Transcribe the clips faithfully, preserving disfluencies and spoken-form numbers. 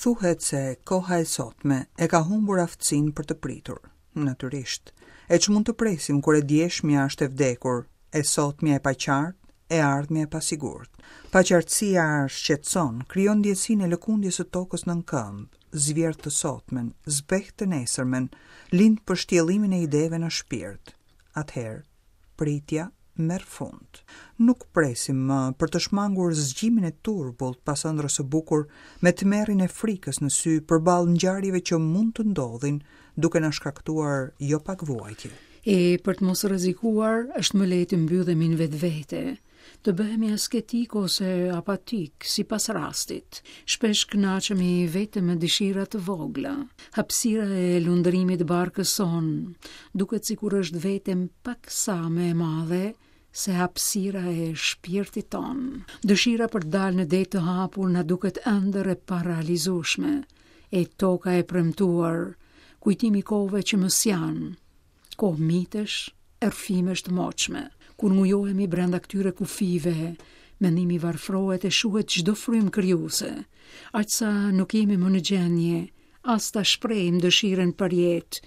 Thuhet se koha e sotme e ka humbur aftësinë për të pritur. Natyrisht, e ç'mund të presim kur e djeshmja është e vdekur, e sotmja e paqartë, e ardhmja e pasigurt. Paqartësia shqetëson, krijon ndjesinë e lëkundjes së tokës nën këmbë, zvjerr të sotmen, zbeh të nesërmen, lind pështjellimin e ideve në shpirt. Atëherë, pritja merr fund. Nuk presim më për të shmangur zgjimin e turbullt pas ëndrrës së bukur me tmerrin e frikës në sy përballë ngjarjeve që mund të ndodhin, duke na shkaktuar jo pak vuajtje. E për të mos rrezikuar, është më lehtë të mbyllemi në vetvete, të bëhemi asketik ose apatik, sipas rastit. Shpesh kënaqemi vetëm me dëshira të vogla. Hapësira e lundrimit barkës sonë duket sikur është vetëm pak sa më e madhe se hapësira e shpirtit ton. Dëshira për të dalë në det të hapur na duket ëndër e parealizueshme, e toka e premtuar, kujtimi kohëve që më s'janë, kohë mitesh, rrëfimesh të moçme. Kur ngujohemi brenda këtyre kufive, mendimi varfrohet e shuhet çdo frymë krijuese, aq sa nuk jemi më në gjendje as ta shprehim dëshirën për jetë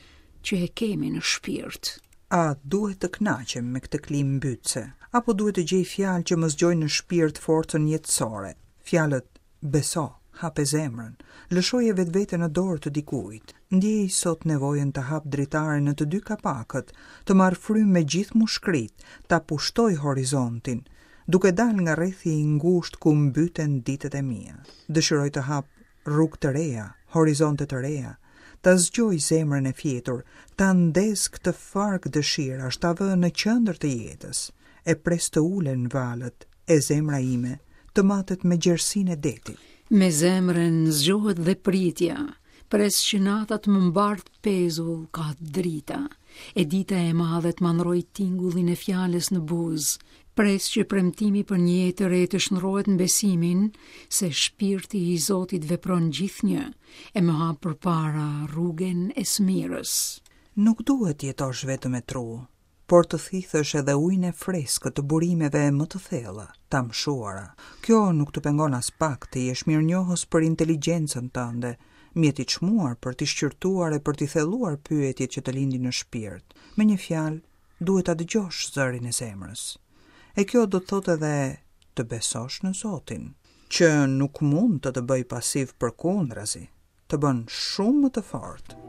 që e kemi në shpirt. A duhet të kënaqem me këtë klimë mbytëse, apo duhet të gjej fjalë që më zgjojnë në shpirt forcën jetësore? Fjalët beso, hape zemrën, lëshoje vetveten në dorë të dikujt. Ndjej sot nevojën të hap dritaren në të dy kapakët, të marr frymë me gjithë mushkrit, ta pushtoj horizontin, duke dalë nga rrethi i ngushtë ku mbyten ditët e mia. Dëshiroj të hap rrugë të reja, horizonte të reja, ta zgjoj zemrën e fjetur, ta ndez këtë fark dëshirash, ta vë në qendër të jetës. E pres të ulen valët e zemra ime të matet me gjerësinë e detit. Me zemrën zgjohet dhe pritja, pres që nata të më mbart pezull ka drita, e dita e madhe të ma ndroj tingullin e fjalës në buzë, pres që premtimi për një jetë të re të shndrohet në besimin se shpirti i Zotit vepron gjithnjë e më hap përpara rrugën e smirës. Nuk duhet të jetosh vetëm me tru, por të thithësh edhe ujin e freskët të burimeve më të thella, të amshuara. Kjo nuk të pengon as pak të jesh mirënjohës për inteligjencën tënde, mjet i çmuar për t'i shqyrtuar e për t'i thelluar pyetjet që të lindin në shpirt. Me një fjalë, duhet ta dëgjosh zërin e zemrës. E kjo do të thotë edhe të besosh në Zotin, që nuk mund të të bëj pasiv përkundrazi, të bën shumë më të fortë.